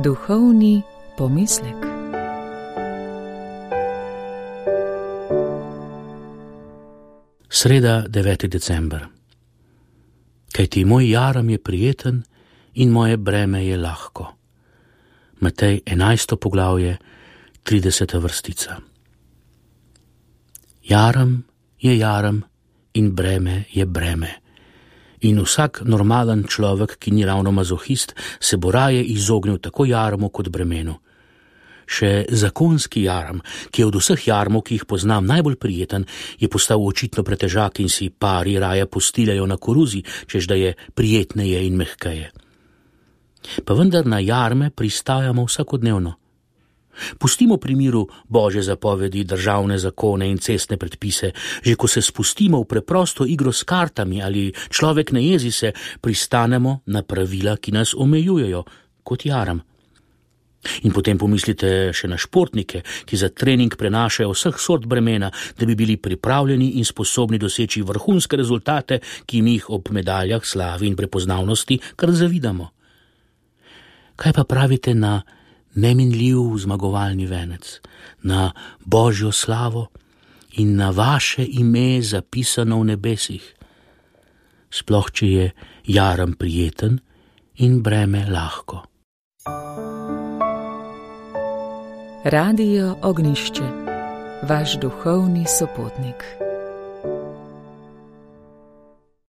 Duhovni pomislek. Sreda, 9. december. Kajti moj jaram je prijeten in moje breme je lahko. Matej 11. poglavje, 30. vrstica. Jaram je jaram in breme je breme. In vsak normalen človek, ki ni ravno mazohist, se bo raje izognil tako jarmu kot bremenu. Še zakonski jaram, ki je od vseh jarmov, ki jih poznam, najbolj prijeten, je postal očitno pretežak in si pari raje postiljajo na koruzi, čež da je prijetneje in mehkeje. Pa vendar na jarme pristajamo vsakodnevno. Pustimo pri miru Božje zapovedi, državne zakone in cestne predpise, že ko se spustimo v preprosto igro s kartami ali človek ne jezi se, pristanemo na pravila, ki nas omejujejo, kot jaram. In potem pomislite še na športnike, ki za trening prenašajo vseh sort bremena, da bi bili pripravljeni in sposobni doseči vrhunske rezultate, ki jim jih ob medaljah, slavi in prepoznavnosti kar zavidamo. Kaj pa pravite na neminljiv zmagovalni venec, na Božjo slavo in na vaše ime zapisano v nebesih? Sploh, če je jaram prijeten in breme lahko. Radio Ognišče, vaš duhovni sopotnik.